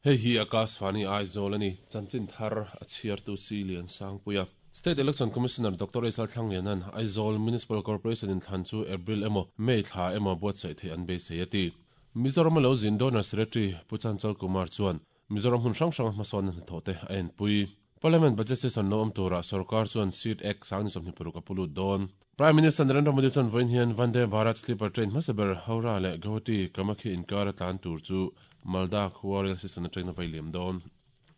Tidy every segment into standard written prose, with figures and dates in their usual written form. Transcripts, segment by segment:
Hei hi Akashvani Aizawl a ni, chanchin thar a chhiartu Si Lian Sangpuia. State Election Commissioner Doctor Isal Thlangliana'n Aizawl Municipal Corporation inthlan chu April emaw May thla emaw buatsaih theih an beisei a ti. Mizoram a lo zin Donor Secretary Pu Chanchal Kumar chuan Mizoram hmun hrang hranga hmasawnna hnathawhte a enpui. Parliament Budget Session lo awm turah sorkar chuan Seat Act 2026 a pu lut dawn. Prime Minister Narendra Modi chuan vawiin hian Vande Bharat Sleeper Train hmasa ber Howrah leh Guwahati Kamakhya inkar a tlan tur chu Malda khua rail station atangin a vai liam dawn.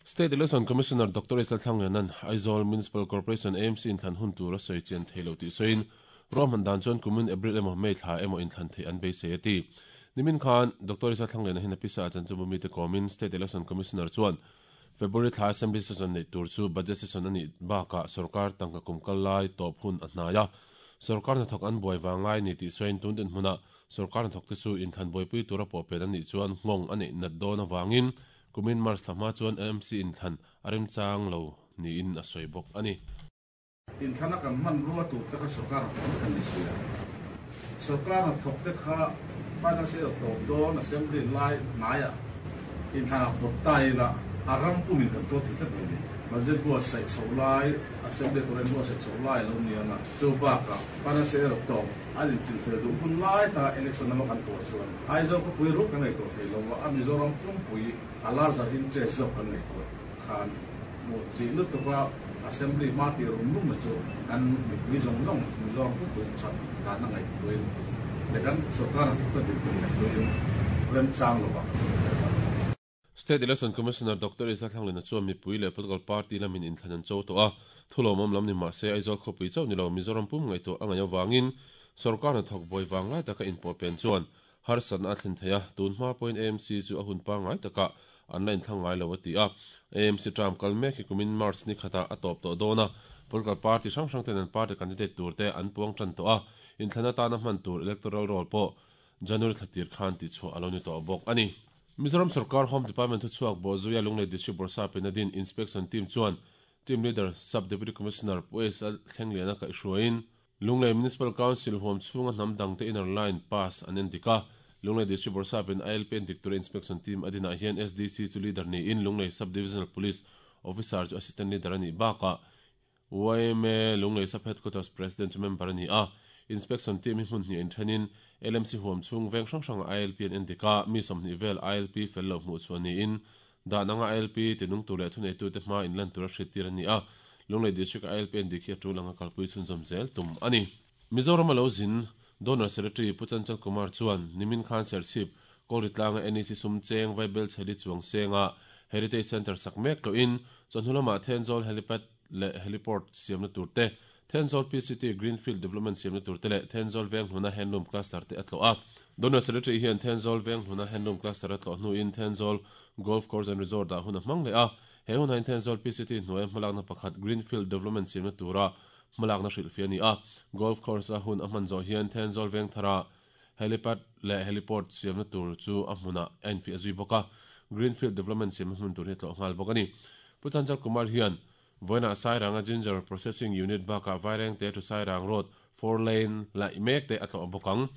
State Election Commissioner Doctor Isal Thlangliana'n Aizawl Municipal Corporation, AMC, inthlan hun tur a sawi chian thei lo tih sawiin, ruahman dan chuan kumin April emaw May thla emaw inthlan theih an beisei a ti. Nimin khan Doctor Isal Thlangliana hian a pisa a chanchinbu mite kawmin State Election Commissioner chuan February thla Assembly Session neih tur chu Budget Session a nih bakah sorkar tangka kum kal lai tawp hun a hnai a, sorkar hnathawk an buai vang ngai ni tih sawiin tun dinhmunah sorkar hnathawkte chu inthlan buaipui tura pawhpen an nih chuan nghawng a neih nat dawn avangin kumin March thla hma chuan AMC inthlan a remchang lo niin a sawi bawk a ni. Inthlana kan hmanrua tur te kha sorkar hnathawk kan ni si a. Sorkar hnathawk te kha financial year tawp dawn assembly lai hnaiah inthlanah pawt ta ila a ram pumin kan tuar thei tlat mai ni. Budget buatsaih chhoh lai, assembly tur inbuatsaih chhoh lai a lo ni ang a, chu bakah financial year tawp an inchilhfel duh hun lai taka election lama kan tuah chuan Aizawl khawpui ruk kan ngaihtuah thei lo va, a Mizoram pumpui a larger interest zawk kan ngaihtuah khan hmuh chih lutuk a Assembly hma tih rum rum na chu kan mipui zawng zawng Mizoram pumpui that dan a ngaihtuahin leh kan sorkar hnathawk te dinhmun ngaihtuahin remchang lovah kan hmu thei a. State Election Commissioner Doctor Isa Thlanglina chuan mipui leh political party lamin inthlan an cho tawh a, thulawmawm lam ni mah se Aizawl khawpui chauh ni lo Mizoram pum ngaihtuah a ngaih avangin sorkar hnathawk buai vanglai taka inpawhpen chuan Harsatna a thlen thei a, tun hma pawhin AMC chu a hun pangngai takah an la inthlang ngai lo a ti a. AMC term kal mek hi kumin March ni khatah a tawp tawh dawn a, political party hrang hrang ten an party candidate tur te an puang tan tawh a, inthlan atana hman tur electoral roll pawh January thla tir khan tihchhuah a lo ni tawh bawk a ni. Mizoram sorkar Home Department thuchhuak Bawhzuia Lunglei District Bawrhsapin a din Inspection Team chuan Team Leader Sub Deputy Commissioner Pu S Thlengliana kaihhruaiin Lunglei Municipal Council huam chhunga hnam dangte inner line pass an en dik a, Lunglei District Bawrhsapin ILP en dik tura inspection team a dinah hian SDC chu leader niin Lunglei Sub Divisional Police Officer chu Assistant Leader a nih bakah yma Lunglei Sub Headquarters President chu member a ni a. Inspection team hi hmun hnih inthenin LMC huam chhung veng hrang hrangah ILP an en dik a, mi 20 vel ILP fel lo hmuh chhuah niin Dan anga ILP tinung tur leh thuneitute hma inlan tura hriattir a ni a, Lunglei District-a ILP an dik hi a tul anga kalpui chhunzawm zel tum a ni. Mizoram a lo zin Donor Secretary Pu Chanchal Kumar chuan nimin khan Serchhip, Kawlritlanga NEC sum cheng Vaibel Chheli chuang senga Heritage Centre sak mek tlawhin chawhnu lamah Thenzawl Helipad leh Heliport siamna tur te, Thenzawl PCT Greenfield Development siamna tur te leh Thenzawl Venghluna Handloom Cluster te a tlawh a. Donor Secretary hian Thenzawl Venghluna Handloom Cluster a tlawh hnuin Thenzawl Golf Course and Resort ah hun a hmang leh a. He hun hain Thenzawl PCT hnuaia hmalakna pakhat Greenfield Development siamna tura hmalakna hrilhfiah a ni a. Golf Course a hun a hman zawh hian Thenzawl Vengthara Helipad leh Heliport siamna tur chu a hmunah a infiah zui bawk a, Greenfield Development siamna hmun tur hi a tlawh nghal bawk a ni. Pu Chanchal Kumar hian vawiinah Sairanga Ginger Processing Unit bakah Vairengte to Sairang Road four lane laih mek te a tlawh bawk ang.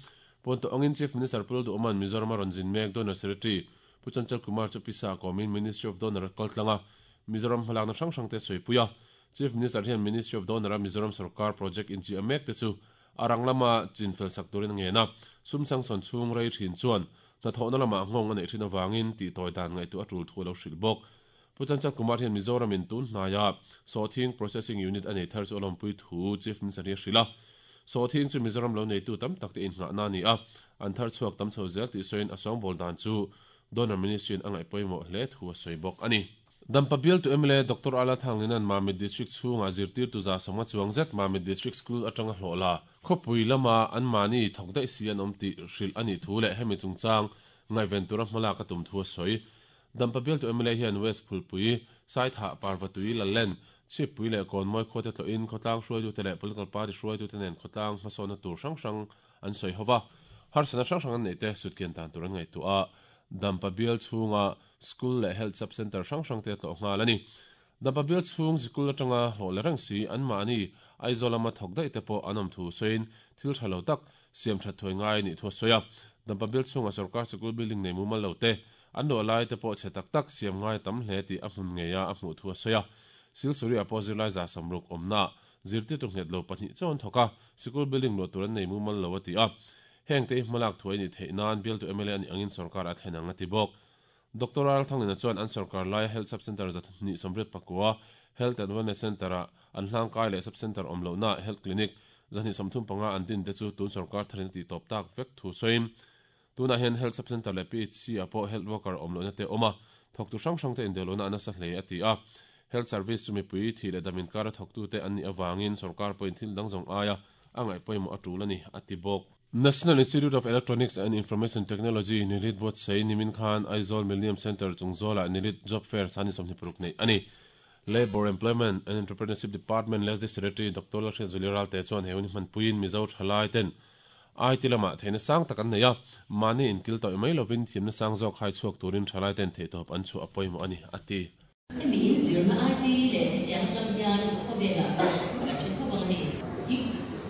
Puan tawh angin Chief Minister Pu Lalduhawma'n Mizoram a rawn zin mek Donor Secretary Pu Chanchal Kumar chu pisa kawmin Ministry of Donor a kal tlang a, Mizoram hmalakna hrang hrang te a sawipui a. Chief Minister hian Ministry of Donor a Mizoram sorkar project inchiah mek te chu A rang lama chin fel sak turin a ngen a, sum sangsawn chhung rei thin chuan hnathawhna lamah nghawng a neih thin avangin tihtawi dan ngaihtuah a tul thu a lo hrilh bawk. Pu Chanchal Kumar hian Mizoramin tun hnaia Sawhthing Processing Unit a nei thar chu a lawmpui thu Chief Minister hi a hrilh a. Sawhthing chu Mizoram lo neitu tam tak te innghahna a ni a, an thar chhuak tam chho zel tih sawiin a sawngbawl dan chu Donor Ministry-in a ngaih pawimawh hle thu a sawi bawk a ni. Dampa bialtu mla Doctor Ala Thanglina'n Mamit District chhungah zirtirtu 150 chuang zet Mamit District School atanga hlawh la, khawpui lama anmahni thawk daih si an awm tih hrilh a nih thu leh hemi chungchang ngaihven tura hmalak a tum thu a sawi. Dampa bialtu mla hian West Phulpui, Saithah, Parvatui, Lallen, Chhippui leh Kawnmawi khuate tlawhin khawtlang hruaitute leh political party hruaitute nen khawtlang hmasawnna tur hrang hrang an sawi ho va, harsatna hrang hrang an neihte sutkian dan tur an ngaihtuah a. Dampa bial chhunga School leh Health Sub Centre hrang hrangte a tlawh nghal a ni. Dampa bial chhung zikul atanga hlawh la reng si anmahni Aizawl lama thawk daih te pawh an awm thu sawiin thil tha lo tak siam that thuai ngai a nih thu a sawi a. Dampa bial chhunga sorkar sikul building nei mumal lo te, An luah lai te pawh chhe tak tak siam ngai tam hle tih a hmun ngeia a hmuh thu a sawi a. Silsuri ah pawh zirlai 160 awmna zirtirtu nghet lo pahnih chauh an thawk a, sikul building luah tur an nei mumal lo a ti a. Heng te hi hmalak thuai nih theih nan bialtu mla a nih angin sorkar a thlen ang a ti bawk. Doctor Ralthanglina chuan an sorkar laia Health Sub Centre 284, Health and Wellness Centre-a an hlangkai leh Sub Centre awm lohna Health Clinic 235 an din te chu tun sorkar tharin a tihtawp tak vek thu sawiin tunah hian Health Sub Centre leh PHC-ah pawh Health Worker awm lohna te a awm a, thawktu hrang hrangte indelawhna a nasa hle a ti a. Health Service chu mipui thih leh dam inkara thawktute an nih avangin sorkar pawhin thil dang zawng aia a ngaih pawimawh a tul a ni, a ti bawk. National Institute of Electronics and Information Technology, NILIT, buatsaih nimin khan Aizawl Millennium Centre chung zawlah NILIT Job Fair chhani 26 neih a ni. Labour, Employment and Entrepreneurship Department LESD Secretary Doctor Lalhriatzuali Ralte chuan he hun hi hmanpuiin Mizo thalai ten IT lamah theihna sang tak an nei a, mahni inkil tawih mai lovin thiamna sang zawk hai chhuak turin thalai ten theihtawp an chhuah a pawimawh a ni, a ti. Hemi in zirna IT leh hetiang atang hian khawvelah pawh kan hre khawp ang hei. Gig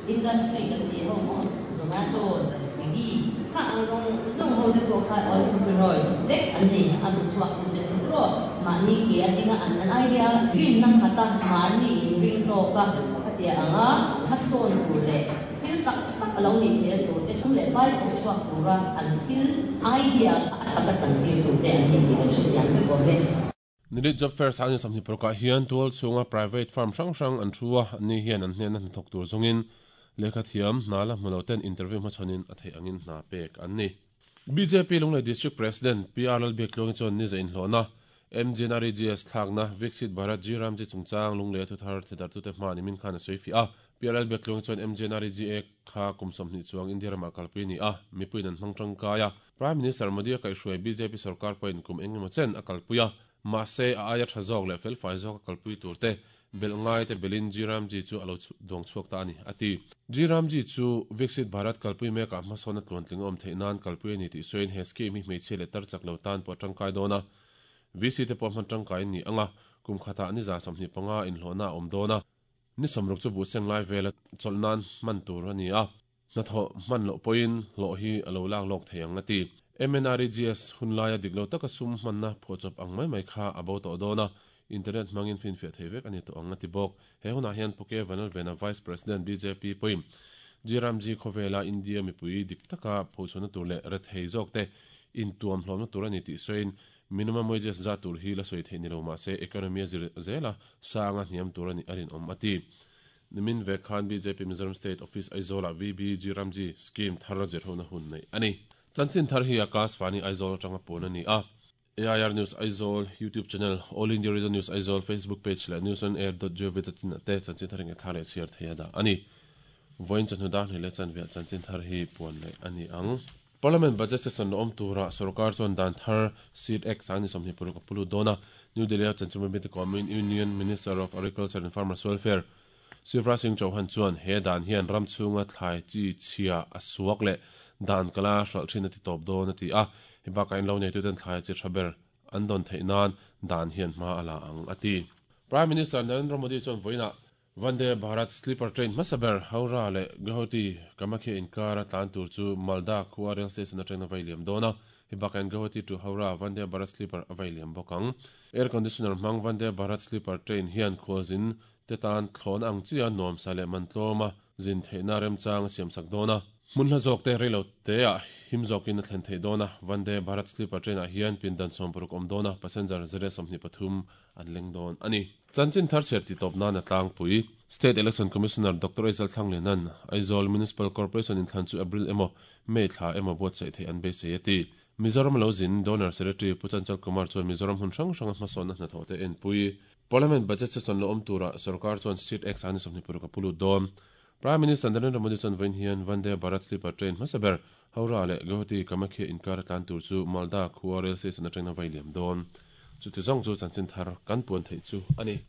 industry kan tih ho maw Zomato, Swiggy kha ang zawng zawng ho te pawh kha entrepreneurs vek an ni a bu chhuak tu te chu erawh mahni ke a dinga an an idea rinna khat a mahni in ring tawk a khatia anga hmasawn tur leh thil tak tak a lo nih theih a tur te sum leh pai thawk chhuak tura an thil idea kha a taka chantir tu te an ni tih kan hrethiam vek awm e. Nilit Job Fair sang 26 ah hian tual chhunga private firm hrang hrang an thu a, anni hian an hnena hnathawk tur zawngin lehkha thiam hna la hmu lo ten interview hmachhawn in a theih angin hna pek an ni. Bjp Lunglei District President PR Lalbiaktluangi chuan ni za inhlawhna, MGNREGS thlakna, Viksit Bharat G Ramji chungchang Lunglei a thuthar thedartute hma nimin khan a sawi fiah a. PR Lalbiaktluangi chuan MGNREGA kha kum 20 chuang India ramah kalpui a ni a, mipuiin an hmang tangkai a. Prime Minister Modi a kaihhruai bjp sorkar pawhin kum eng emaw chen a kalpui a, mahse a aia tha zawk leh felfai zawk a kalpui tur te belh ngai te belhin G Ramji chu a lo duang chhuak ta a ni, a ti. G Ramji chu Viksit Bharat kalpui mekah hmasawn a tluantling a awm theih nan kalpui a ni tih sawiin he scheme hi hmeichhia leh tar chak lo tan pawh a tangkai dawn a, VC te pawh hman tangkai an ni ang a, kum khatah ni 25 inhlawhna a awm dawn a, ni 60 chu buhseng lai vela chawlh nan hman tur a ni a. Hnathawh hman loh pawhin hlawh hi a lo lak lawk thei ang a ti. MNREGS hun laia dik lo taka sum hmanna phuahchawp ang mai mai kha a bo tawh dawn a, internet hmangin finfiah thei vek a ni tawh ang a ti bawk. He hunah hian Puke Vanlalvena Vice President bjp pawhin G-Ramji khawvela India mipui dik taka phochhuahna tur leh rethei zawkte intuam hlawmna tur a ni tih sawiin minimum wages zah tur hi la sawi theih ni lo mahse economy a zir zela sanga hniam tur a nih a rinawm a ti. Nimin vek khan bjp Mizoram State Office Aizawl-ah VBG Ramji Scheme thar zirhona hun neih a ni. Chanchin thar hi Akash Vani Aizawl atanga puan a ni a. AIR News Aizawl YouTube Channel, All India Radio News Aizawl Facebook Page leh newsonair.gov.in ah te chanchin thar hi thla leh chhiar thei a dah a ni. Vawiin chawhnu dar hnih leh chanveah chanchin thar hi puan leh a ni ang. Parliament Budget Session la awm turah sorkar chuan dan thar Seed Act 2026 a pu lut dawn a. New Delhi-a chanchinbu mite kawmin Union Minister of Agriculture and Farmers Welfare Shivraj Singh Chauhan chuan he dan hian ram chhunga thlai chi chhia a suak leh dan kala hralh thin a ti tawp dawn a ti a. Hei bakah in lo neituten thlai chi tha ber an dawn theih nan dan hian hma a la ang a ti. Prime Minister Narendra Modi chuan vawiinah Vande Bharat Sleeper Train hmasa ber Howrah leh Guwahati Kamakhya inkara tlan tur chu Malda khua rail station atangin a vai liam dawn a, hei bakah hian Guwahati to Howrah Vande Bharat Sleeper a vai liam bawk ang. Air conditioner hmang Vande Bharat Sleeper Train hian khualzin te tan thlawhna ang chia nuamsa leh man tlawma zin theihna remchang a siamsak dawn a. Hmun hla zawk te reilo teah him zawkin a thlen theih dawn a, Vande Bharat Sleeper Train ah hian pindan 60 awm dawn a, passenger 123 an leng dawn a ni. Chanchin thar chhiar tih tawp nan a tlangpui. State Election Commissioner Doctor Aizal Thlanglianan, Aizawl Municipal Corporation inthlan chu April emaw May thla emaw buatsaih theih an beisei a ti. Mizoram lo zin Donor Secretary Pu Chanchal Kumar chuan Mizoram hmun hrang hranga hmasawnna hnathawh te enpui. Parliament Budget Session lo awm turah sorkar chuan Seat Act 2026 a pu lut dawn. Prime Minister Narendra Modi chuan vawiin hian Vande Bharat Sleeper Train hmasa ber Howrah leh Guwahati Kamakhya inkar a tlan tur chu Malda khua rail station atangin a vai liam dawn. Chuti zawng chu chanchin thar kan puan theih chu a ni.